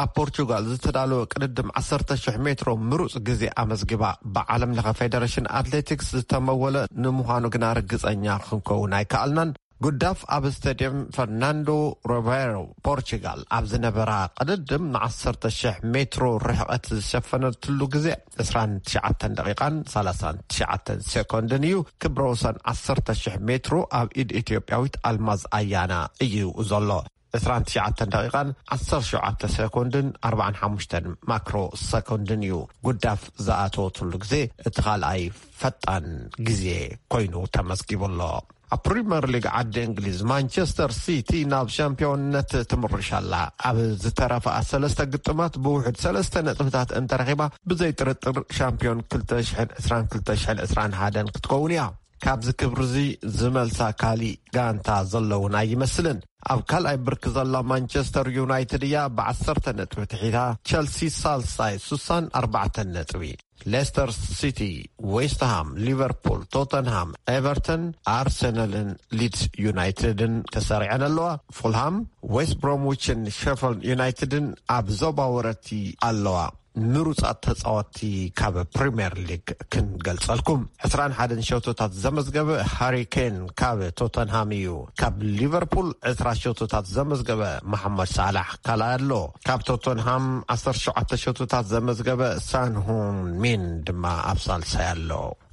ኣብ ፖርቹጋል ዝተዳለወ ቅድድም ዓሰርተ ሽሕ ሜትሮ ምሩጽ ግዜ ኣመዝጊባ። ብዓለም ለኸ ፌደሬሽን ኣትሌቲክስ ዝተመወለ ንምዃኑ ግና ርግጸኛ ክንከውን ኣይከኣልናን። ጉዳፍ ኣብ ስቴድየም ፈርናንዶ ሮቤሮ ፖርቹጋል ኣብ ዝነበራ ቅድድም ንዓሰርተ ሽሕ ሜትሮ ርሕቐት ዝሸፈነትሉ ግዜ ዕስራን ትሽዓተን ደቂቓን ሰላሳን ትሽዓተን ሴኮንድን እዩ። ክብረ ወሰን ዓሰርተ ሽሕ ሜትሮ ኣብ ኢድ ኢትዮጵያዊት ኣልማዝ ኣያና እዩ ዘሎ። ዕስራን ትሽዓተን ደቂቓን ዓሰርተ ሸውዓተ ሴኮንድን ኣርባዓን ሓሙሽተን ማክሮ ሰኮንድን እዩ። ጉዳፍ ዝኣተወትሉ ግዜ እቲ ካልኣይ ፈጣን ግዜ ኮይኑ ተመዝጊቡ ኣሎ። ኣብ ፕሪምየር ሊግ ዓዲ እንግሊዝ ማንቸስተር ሲቲ ናብ ሻምፒዮንነት ትምርሽ ኣላ። ኣብ ዝተረፋ ሰለስተ ግጥማት ብውሕድ ሰለስተ ነጥብታት እንተረኺባ ብዘይ ጥርጥር ሻምፒዮን ክልተ ሽሕን ዕስራን ክልተ ሽሕን ዕስራን ሓደን ክትከውን እያ። ካብዚ ክብሪ እዚ ዝመልሳ ካሊእ ጋንታ ዘለውን ኣይመስልን። ኣብ ካልኣይ ብርኪ ዘላ ማንቸስተር ዩናይትድ እያ ብዓሰርተ ነጥቢ ትሒታ። ቸልሲ ሳልሳይ ሱሳን ኣርባዕተ ነጥቢ። ሌስተር ሲቲ፣ ዌስትሃም፣ ሊቨርፑል፣ ቶተንሃም፣ ኤቨርተን፣ ኣርሰናልን ሊድስ ዩናይትድን ተሰሪዐን ኣለዋ። ፉልሃም፣ ዌስት ብሮምዊችን ሸፈልድ ዩናይትድን ኣብ ዞባ ወረርቲ ኣለዋ። ምሩጻት ተጻወትቲ ካብ ፕሪምየር ሊግ ክንገልጸልኩም። ዕስራን ሓደን ሸቶታት ዘመዝገበ ሃሪ ኬን ካብ ቶተንሃም እዩ። ካብ ሊቨርፑል ዕስራ ሸቶታት ዘመዝገበ መሓመድ ሳላሕ ካልኣይ ኣሎ። ካብ ቶተንሃም ዓሰርተ ሸውዓተ ሸቶታት ዘመዝገበ ሳንሁን ሚን ድማ ኣብ ሳልሳይ ኣሎ።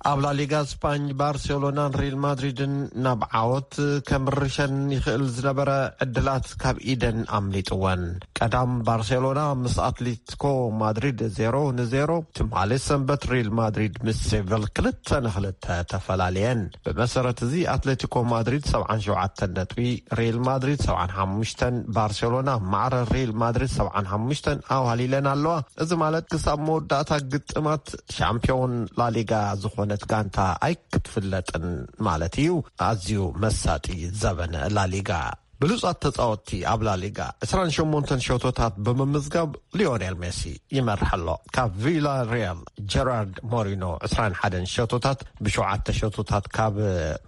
ኣብ ላሊጋ ስፓኝ ባርሴሎናን ሪል ማድሪድን ናብ ዓወት ከምርሸን ይኽእል ዝነበረ ዕድላት ካብ ኢደን ኣምሊጥወን። ቀዳም ባርሴሎና ምስ ኣትሌቲኮ ማድሪድ ዜሮ ንዜሮ፣ ትማሊ ሰንበት ሪል ማድሪድ ምስ ሴቨል ክልተ ንክልተ ተፈላለየን። ብመሰረት እዚ ኣትሌቲኮ ማድሪድ ሰብዓን ሸውዓተን ነጥቢ፣ ሪል ማድሪድ ሰብዓን ሓሙሽተን፣ ባርሴሎና ማዕረ ሪል ማድሪድ ሰብዓን ሓሙሽተን ኣዋህሊለን ኣለዋ። እዚ ማለት ክሳብ መወዳእታ ግጥማት ሻምፒዮን ላሊጋ ዝኾነት ጋንታ ኣይክትፍለጥን ማለት እዩ። ኣዝዩ መሳጢ ዘበን ላሊጋ። ብሉጻት ተጻወትቲ ኣብ ላሊጋ ዕስራን ሸሞንተን ሸቶታት ብምምዝጋብ ሊዮኔል ሜሲ ይመርሕ ኣሎ። ካብ ቪላ ሪያል ጀራርድ ሞሪኖ ዕስራን ሓደን ሸቶታት፣ ብሸውዓተ ሸቶታት ካብ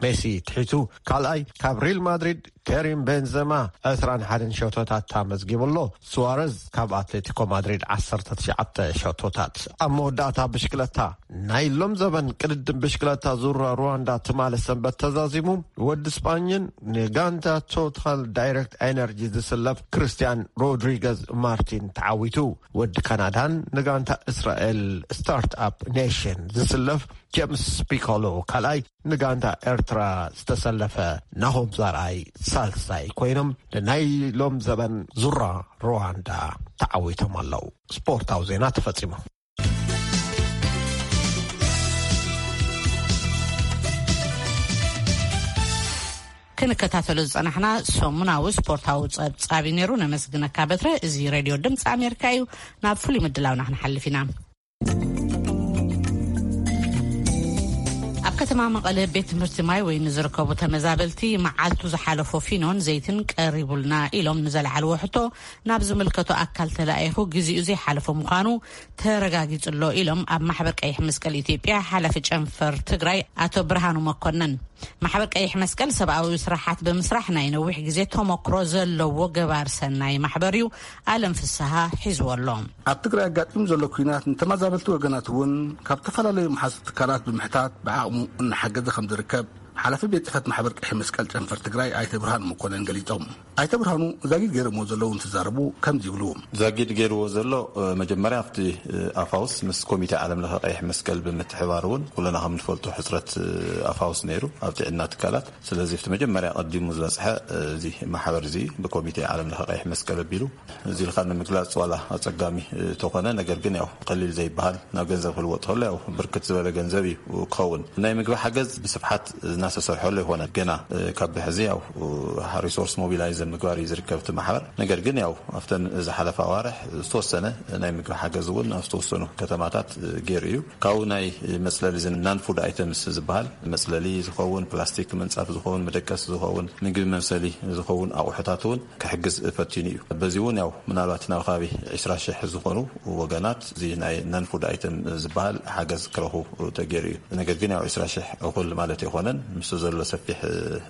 ሜሲ ትሒቱ ካልኣይ። ካብ ሪል ማድሪድ ከሪም ቤንዘማ ዕስራን ሓደን ሸቶታት ኣመዝጊቡ ኣሎ። ሱዋረዝ ካብ ኣትሌቲኮ ማድሪድ ዓሰርተ ትሽዓተ ሸቶታት። ኣብ መወዳእታ ብሽክለታ። ናይ ሎም ዘበን ቅድድም ብሽክለታ ዙራ ሩዋንዳ ትማሊ ሰንበት ተዛዚሙ። ወዲ ስጳኝን ንጋንታ ቶታል ዳይሬክት ኤነርጂ ዝስለፍ ክርስቲያን ሮድሪገዝ ማርቲን ተዓዊቱ። ወዲ ካናዳን ንጋንታ እስራኤል ስታርትኣፕ ኔሽን ዝስለፍ ጀምስ ፒኮሎ ካልኣይ፣ ንጋንታ ኤርትራ ዝተሰለፈ ናሆም ዛርኣይ ሳልሳይ ኮይኖም ንናይ ሎም ዘበን ዙራ ሩዋንዳ ተዓዊቶም ኣለዉ። ስፖርታዊ ዜና ተፈጺሙ። ክንከታተሎ ዝጸናሕና ሰሙናዊ ስፖርታዊ ጸብጻብ እዩ ነይሩ። ነመስግነካ በትረ። እዚ ሬድዮ ድምፂ ኣሜሪካ እዩ። ናብ ፍሉይ ምድላውና ክንሓልፍ ኢና። ኣብ ከተማ መቐለ ቤት ትምህርቲ ማይ ወይኒ ዝርከቡ ተመዛበልቲ መዓልቱ ዝሓለፎ ፊኖን ዘይትን ቀሪቡልና ኢሎም ንዘለዓልዎ ሕቶ ናብ ዝምልከቶ ኣካል ተላኢኹ ግዜኡ ዘይሓለፎ ምዃኑ ተረጋጊጹ ኣሎ ኢሎም ኣብ ማሕበር ቀይሕ መስቀል ኢትዮጵያ ሓላፊ ጨንፈር ትግራይ ኣቶ ብርሃኑ መኮነን። ማሕበር ቀይሕ መስቀል ሰብኣዊ ስራሓት ብምስራሕ ናይ ነዊሕ ግዜ ተሞክሮ ዘለዎ ገባር ሰናይ ማሕበር እዩ። ኣለም ፍስሃ ሒዝዎ ኣሎ። ኣብ ትግራይ ኣጋጢሙ ዘሎ ኲናት ንተመዛበልቲ ወገናት እውን ካብ ዝተፈላለዩ መሓዙት ትካላት ብምሕታት ብዓቕሙ እናሓገዘ ከም ዝርከብ ሓላፊ ቤት ጽሕፈት ማሕበር ቀይሕ መስቀል ጨንፈር ትግራይ ኣይተ ብርሃኑ መኮነን ገሊጾም። ኣይተ ብርሃኑ ዛጊድ ገይሮምዎ ዘለዉ እንትዛረቡ ከምዚ ይብሉ። ዛጊድ ገይርዎ ዘሎ፣ እ፣ መጀመርያ ኣብቲ፣ እ፣ ኣፋውስ ምስ ኮሚቴ ዓለም ለኸ ቀይሕ መስቀል ብምትሕባር እውን ኩለና ከም ንፈልጦ ሕፅረት፣ እ፣ ኣፋውስ ነይሩ ኣብ ጥዕና ትካላት። ስለዚ ኣብቲ መጀመርያ ቀዲሙ ዝበፅሐ፣ እ፣ እዚ ማሕበር እዚ ብኮሚቴ ዓለም ለኸ ቀይሕ መስቀል ኣቢሉ እዚ ኢልካ ንምግላፅ ዋላ ኣፀጋሚ፣ እ፣ ተኾነ፣ ነገር ግን ያው ቀሊል ዘይበሃል ናብ ገንዘብ ክልወጥ ከሎ ያው ብርክት ዝበለ ገንዘብ እዩ ክኸውን። ናይ ምግቢ ሓገዝ ብስፍሓት እናተሰርሐሉ ይኾነ። ገና፣ እ፣ ካብ ብሕዚ ያው፣ እ፣ ሪሶርስ ሞቢላይዝ ምግባር እዩ ዝርከብ እቲ ማሕበር። ነገር ግን ያው ኣብተን ዝሓለፋ ኣዋርሕ ዝተወሰነ ናይ ምግቢ ሓገዝ እውን ኣብ ዝተወሰኑ ከተማታት፣ እ፣ ገይሩ እዩ። ካብኡ ናይ መፅለሊ እዚ ናን ፉድ ኣይተምስ ዝበሃል መፅለሊ ዝኸውን፣ ፕላስቲክ ምንፃፍ ዝኸውን፣ መደቀሲ ዝኸውን፣ ምግቢ መምሰሊ ዝኸውን ኣቑሑታት እውን ክሕግዝ ፈቲኑ እዩ። በዚ እውን ያው ምናልባት ናብ ከባቢ ዕስራ ሽሕ ዝኾኑ ወገናት እዚ ናይ ናን ፉድ ኣይተም ዝበሃል ሓገዝ ክረኽቡ ተገይሩ እዩ። ነገር ግን ያው ዕስራ ሽሕ እኹል ማለት ኣይኮነን። ምስ ዘሎ ሰፊሕ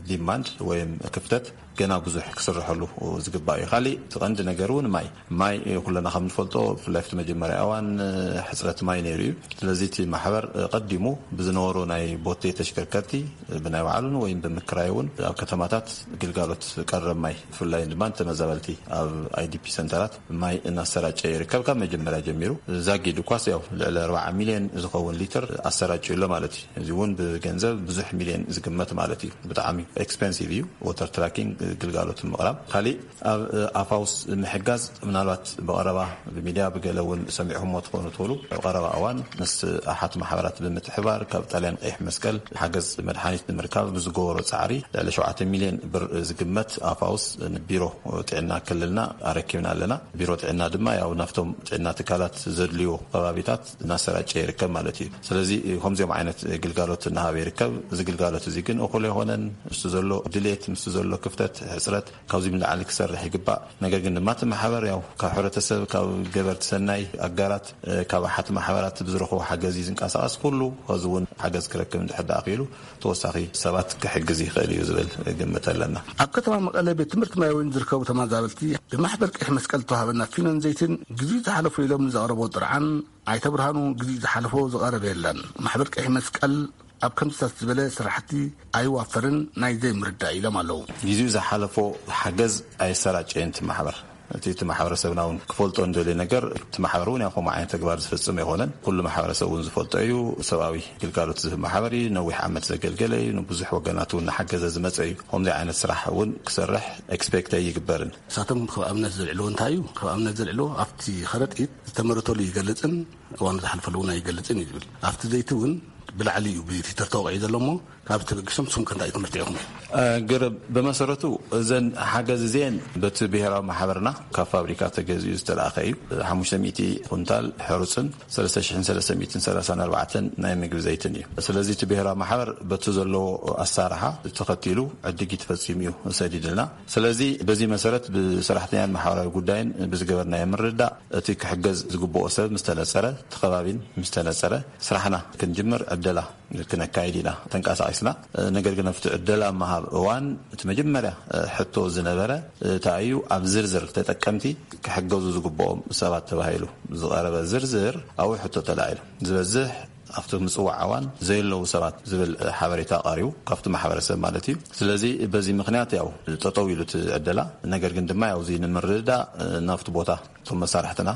ዲማንድ ወይም ክፍተት ገና ብዙሕ ክስርሐሉ ዝግባእ እዩ። ካሊእ እቲ ቀንዲ ነገር እውን ማይ፣ ማይ ኩለና ከም ንፈልጦ ብፍላይ ኣብቲ መጀመርያ እዋን ሕፅረት ማይ ነይሩ እዩ። ስለዚ እቲ ማሕበር ቀዲሙ ብዝነበሮ ናይ ቦቴ ተሽከርከርቲ ብናይ ባዕሉን ወይም ብምክራይ እውን ኣብ ከተማታት ግልጋሎት ቀረብ ማይ ብፍላይ ድማ ንተመዛበልቲ ኣብ ኣይዲፒ ሰንተራት ማይ እናሰራጨ ይርከብ። ካብ መጀመርያ ጀሚሩ ዛጊድ እኳስ ያው ልዕሊ ኣርባዓ ሚልዮን ዝኸውን ሊትር ኣሰራጭ ኣሎ ማለት እዩ። እዚ እውን ብገንዘብ ብዙሕ ሚልዮን ክግመት ማለት እዩ። ብጣዕሚ ኤክስፐንሲቭ እዩ። ወተር ትራኪንግ ግልጋሎት ምቕራብ። ካሊእ ኣብ ኣፋውስ ምሕጋዝ፣ ምናልባት ብቐረባ ብሚድያ ብገለ እውን ሰሚዕኹምዎ ትኾኑ ትኽእሉ። ኣብ ቀረባ እዋን ምስ ኣሓት ማሕበራት ብምትሕባር ካብ ጣልያን ቀይሕ መስቀል ሓገዝ መድሓኒት ንምርካብ ብዝገበሮ ፃዕሪ ልዕሊ ሸውዓተ ሚልዮን ብር ዝግመት ኣፋውስ ንቢሮ ጥዕና ክልልና ኣረኪብና ኣለና። ቢሮ ጥዕና ድማ ያው ናብቶም ጥዕና ትካላት ዘድልዮ ከባቢታት እናሰራጨ ይርከብ ማለት እዩ። ስለዚ ከምዚኦም ዓይነት ግልጋሎት እናሃበ ይርከብ። እዚ ግልጋሎት እዚ ግን እኹል ኣይኮነን። ምስቲ ዘሎ ድሌት፣ ምስቲ ዘሎ ክፍተት፣ ሕፅረት ካብዚ ንላዕሊ ክሰርሕ ይግባእ። ነገር ግን ድማ እቲ ማሕበር ያው ካብ ሕብረተሰብ፣ ካብ ገበርቲ ሰናይ ኣጋራት፣ ካብ ኣሓት ማሕበራት ብዝረኽቦ ሓገዝ እዩ ዝንቀሳቐስ። ኩሉ ሕዚ እውን ሓገዝ ክረክብ እንድሕር ደኣ ክኢሉ ተወሳኺ ሰባት ክሕግዝ ይኽእል እዩ ዝብል ግምት ኣለና። ኣብ ከተማ መቐለ ቤት ትምህርቲ ማይ ወይን ዝርከቡ ተመዛበልቲ ብማሕበር ቀይሕ መስቀል ዝተዋሃበና ፊኖን ዘይትን ግዜኡ ዝሓለፎ ኢሎም ንዘቕረቦ ጥርዓን ኣይተ ብርሃኑ ግዜኡ ዝሓለፎ ዝቐረበ የለን። ማሕበር ቀይሕ መስቀል ኣብ ከምዚታት ዝበለ ስራሕቲ ኣይዋፈርን፣ ናይ ዘይምርዳእ ኢሎም ኣለዉ። ግዜኡ ዝሓለፎ ሓገዝ ኣየሰራጨየን እቲ ማሕበር። እቲ እቲ ማሕበረሰብና እውን ክፈልጦ እንደልዮ ነገር፣ እቲ ማሕበር እውን ያው ከምኡ ዓይነት ተግባር ዝፍጽም ኣይኮነን። ኩሉ ማሕበረሰብ እውን ዝፈልጦ እዩ። ሰብኣዊ ግልጋሎት ዝህብ ማሕበር እዩ። ነዊሕ ዓመት ዘገልገለ እዩ። ንብዙሕ ወገናት እውን እናሓገዘ ዝመጸ እዩ። ከምዚ ዓይነት ስራሕ እውን ክሰርሕ ኤክስፔክት ኣይግበርን። ንሳቶም ከም ኣብነት ዘልዕልዎ እንታይ እዩ? ከም ኣብነት ዘልዕልዎ ኣብቲ ከረጢት ዝተመረተሉ ይገልጽን እዋኑ ዝሓልፈሉ እውን ኣይገልጽን እዩ ዝብል። ኣብቲ ዘይቲ እውን ብላዕሊ እዩ ብትዊተር ተወቂዑ ዘሎ እሞ ካብዚ ተበጊሶም ንስኹም ከ እንታይ ትምህርቲ ኢኹም? ግር ብመሰረቱ እዘን ሓገዝ እዚአን በቲ ብሔራዊ ማሕበርና ካብ ፋብሪካ ተገዚኡ ዝተላእኸ እዩ። ሓሙሽተ ሚእቲ ኩንታል ሕሩፅን ሰለስተ ሽሕን ሰለስተ ሚእትን ሰላሳን ኣርባዕተን ናይ ምግቢ ዘይትን እዩ። ስለዚ እቲ ብሔራዊ ማሕበር በቲ ዘለዎ ኣሳርሓ ተኸቲሉ ዕድጊት ፈፂሙ እዩ ሰዲድልና። ስለዚ በዚ መሰረት ብሰራሕተኛን ማሕበራዊ ጉዳይን ብዝገበርናዮ ምርዳእ እቲ ክሕገዝ ዝግብኦ ሰብ ምስ ተነፀረ፣ እቲ ከባቢን ምስ ተነፀረ ስራሕና ክንጅምር ዕደላ ክነካይድ ኢና ተንቀሳቒስና። ነገር ግን ኣብቲ ዕደላ ምሃብ እዋን እቲ መጀመርያ ሕቶ ዝነበረ እንታይ እዩ? ኣብ ዝርዝር ተጠቀምቲ ክሕገዙ ዝግብኦም ሰባት ተባሂሉ ዝቐረበ ዝርዝር ኣብኡ ሕቶ ተላዒሉ። ዝበዝሕ ኣብቲ ምጽዋዕ እዋን ዘየለዉ ሰባት ዝብል ሓበሬታ ቀሪቡ ካብቲ ማሕበረሰብ ማለት እዩ። ስለዚ በዚ ምኽንያት ያው ጠጠው ኢሉ እቲ ዕደላ። ነገር ግን ድማ ያው እዚ ንምርዳእ ናብቲ ቦታ እቶም መሳርሕትና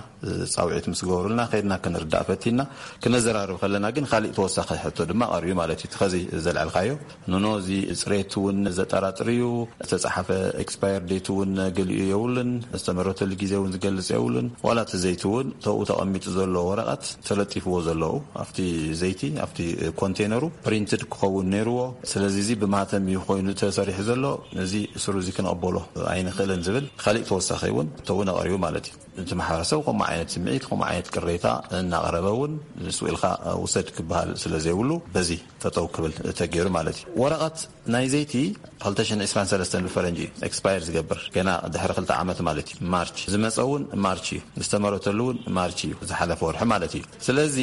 ጻውዒት ምስ ገበሩልና ከይድና ክንርዳእ ፈቲና። ክነዘራርብ ከለና ግን ካሊእ ተወሳኺ ሕቶ ድማ ቀሪቡ ማለት እዩ። እቲ ኸዚ ዘልዐልካዮ ኖኖ እዚ ጽሬት እውን ዘጠራጥር እዩ። ዝተጻሓፈ ኤክስፓየር ዴት እውን ገሊኡ የብሉን። ዝተመረተሉ ግዜ እውን ዝገልጽ የብሉን። ዋላ እቲ ዘይቲ እውን ተኡ ተቐሚጡ ዘሎ ወረቐት ተለጢፍዎ ዘለዉ ኣብቲ ዘይቲ ኣብቲ ኮንቴነሩ ፕሪንትድ ክኸውን ነይርዎ። ስለዚ እዚ ብማህተም እዩ ኮይኑ ተሰሪሑ ዘሎ። እዚ ስሩ እዚ ክንቐበሎ ኣይንኽእልን ዝብል ካሊእ ተወሳኺ እውን ተውን ኣቐሪቡ ማለት እዩ። እቲ ማሕበረሰብ ከምኡ ዓይነት ስምዒት ከምኡ ዓይነት ቅሬታ እናቐረበ እውን ንስኡ ኢልካ ውሰድ ክበሃል ስለ ዘይብሉ በዚ ጠጠው ክብል ተገይሩ ማለት እዩ። ወረቐት ናይ ዘይቲ ክልተ ሽሕን ዕስራን ሰለስተን ብፈረንጂ እዩ ኤክስፓየር ዝገብር፣ ገና ድሕሪ ክልተ ዓመት ማለት እዩ። ማርች ዝመፀ እውን ማርች እዩ፣ ዝተመረተሉ እውን ማርች እዩ፣ ዝሓለፈ ወርሒ ማለት እዩ። ስለዚ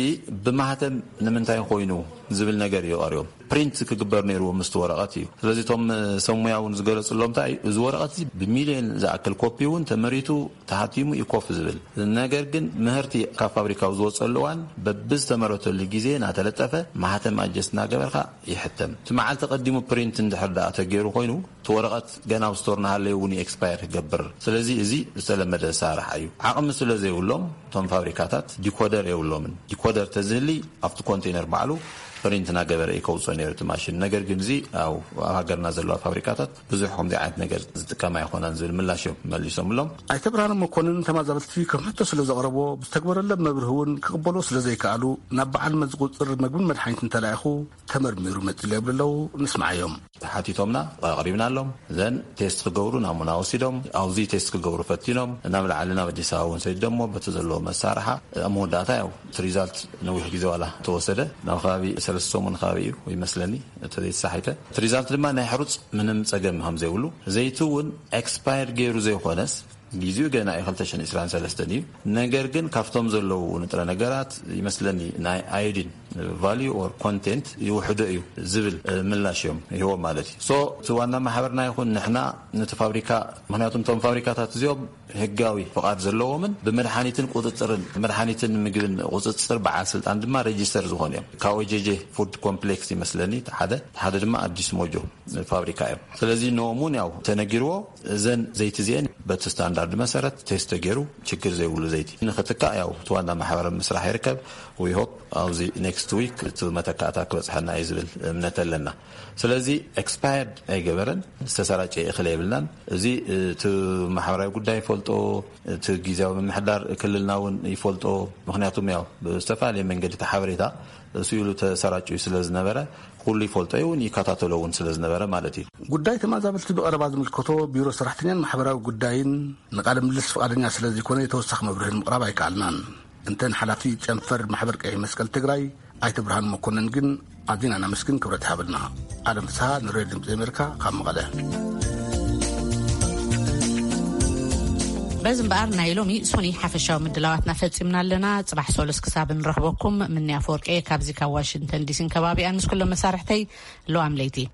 ብማህተም ንምንታይ ኮይኑ ዝብል ነገር እዩ ቀሪቦም። ፕሪንት ክግበር ነይርዎ ምስቲ ወረቐት እዩ። ስለዚ እቶም ሰብ ሙያ እውን ዝገለፅሎም እንታይ እዩ፣ እዚ ወረቐት እዚ ብሚልዮን ዝኣክል ኮፒ እውን ተመሪቱ ተሃቲሙ እዩ ኮፍ ዝብል። ነገር ግን ምህርቲ ካብ ፋብሪካው ዝወፀሉ እዋን በብዝተመረተሉ ግዜ እናተለጠፈ ማህተም ኣጀስት እናገበርካ ይሕተም። እቲ መዓልቲ ቀዲሙ ፕሪንት እንድሕር ደኣ ተገይሩ ኮይኑ እቲ ወረቐት ገና ኣብ ስቶር እናሃለየ እውን ኤክስፓየር ክገብር። ስለዚ እዚ ዝተለመደ ኣሰራርሓ እዩ። ዓቕሚ ስለ ዘይብሎም እቶም ፋብሪካታት ዲኮደር የብሎምን። ዲኮደር ተዝህሊ ኣብቲ ኮንቴነር ባዕሉ ፕሪንት እናገበረ እዩ ከውፅኦ ነይሩ እቲ ማሽን። ነገር ግን እዚ ኣብ ኣብ ሃገርና ዘለዋ ፋብሪካታት ብዙሕ ከምዚ ዓይነት ነገር ዝጥቀማ ኣይኮናን ዝብል ምላሽ እዮም መሊሶምሎም። ኣይተ ብርሃነ መኮንን ተማዛበልቲ ከም ሕቶ ስለ ዘቕረቦ ብዝተግበረሎም መብርሂ እውን ክቕበሎ ስለ ዘይከኣሉ ናብ በዓል መዚ ቁፅር መግብን መድሓኒትን ተላኢኹ ተመርሚሩ መፂሉ የብሉ ኣለዉ። ንስምዓዮም። ተሓቲቶምና ኣቕሪብናሎም። ዘን ቴስት ክገብሩ ናሙና ወሲዶም ኣብዚ ቴስት ክገብሩ ፈቲኖም ናብ ላዕሊ ናብ ኣዲስ ኣበባ እውን ሰዲዶሞ በቲ ዘለዎ መሳርሓ ኣብ መወዳእታ ያው እቲ ሪዛልት ነዊሕ ግዜ ዋላ ተወሰደ ናብ ከባቢ ሰለስተ ሰሙን ከባቢ እዩ ይመስለኒ እንተዘይተሳሒተ። እቲ ሪዛልት ድማ ናይ ሕሩፅ ምንም ፀገም ከም ዘይብሉ ዘይቲ እውን ኤክስፓየር ገይሩ ዘይኮነስ ጊዜኡ ገና እዩ ክልተ ሽሕን ዕስራን ሰለስተን እዩ። ነገር ግን ካብቶም ዘለዉ ንጥረ ነገራት ይመስለኒ ናይ ኣዮዲን ቫልዩ ኦር ኮንቴንት ይውሕዶ እዩ ዝብል ምላሽ እዮም ይህቦም ማለት እዩ። ሶ እቲ ዋና ማሕበርና ይኹን ንሕና ነቲ ፋብሪካ ምክንያቱ እቶም ፋብሪካታት እዚኦም ህጋዊ ፍቓድ ዘለዎምን ብመድሓኒትን ቁፅፅርን መድሓኒትን ምግብን ቁፅፅር በዓል ስልጣን ድማ ሬጅስተር ዝኾኑ እዮም። ካብ ኦጀጀ ፉድ ኮምፕሌክስ ይመስለኒ ሓደ ሓደ ድማ ኣዲስ ሞጆ ፋብሪካ እዮም። ስለዚ ንኦም እውን ያው ተነጊርዎ እዘን ዘይቲ እዚአን በቲ ስታንዳርድ መሰረት ቴስት ተገይሩ ችግር ዘይብሉ ዘይቲ ንክትካእ ያው እቲ ዋና ማሕበረ ምስራሕ ይርከብ። ዊ ሆፕ ኣብዚ ኔክስት ዊክ እቲ መተካእታ ክበፅሐና እዩ ዝብል እምነት ኣለና። ስለዚ ኤክስፓየርድ ኣይገበረን፣ ዝተሰራጨ እኽለ የብልናን። እዚ እቲ ማሕበራዊ ጉዳይ ይፈልጦ፣ እቲ ግዜያዊ ምምሕዳር ክልልና እውን ይፈልጦ። ምክንያቱም ያው ብዝተፈላለየ መንገዲ እቲ ሓበሬታ ስኢሉ ተሰራጭዩ ስለ ዝነበረ ኩሉ ይፈልጦ እውን ይከታተሎ እውን ስለ ዝነበረ ማለት እዩ። ጉዳይ ተመዛበልቲ ብቐረባ ዝምልከቶ ቢሮ ሰራሕተኛን ማሕበራዊ ጉዳይን ንቃለ ምልልስ ፍቓደኛ ስለ ዘይኮነ ተወሳኺ መብርሂ ንምቕራብ ኣይከኣልናን። እንተን ሓላፊ ጨንፈር ማሕበር ቀይሕ መስቀል ትግራይ ኣይተ ብርሃን መኮንን ግን ኣዚና ነመስግን፣ ክብረት ይሃበልና። ኣለም ፍስሃ ንሬድዮ ድምፂ ኣሜሪካ ካብ መቐለ። በዚ እምበኣር ናይ ሎሚ ሶኒ ሓፈሻዊ ምድላዋትና ፈጺምና ኣለና። ጽባሕ ሶሉስ ክሳብ ንረኽበኩም ምንያ ኣፈወርቂ እየ ካብዚ ካብ ዋሽንግተን ዲሲን ከባቢኣን ምስ ኩሎም መሳርሕተይ። ለዋም ለይቲ።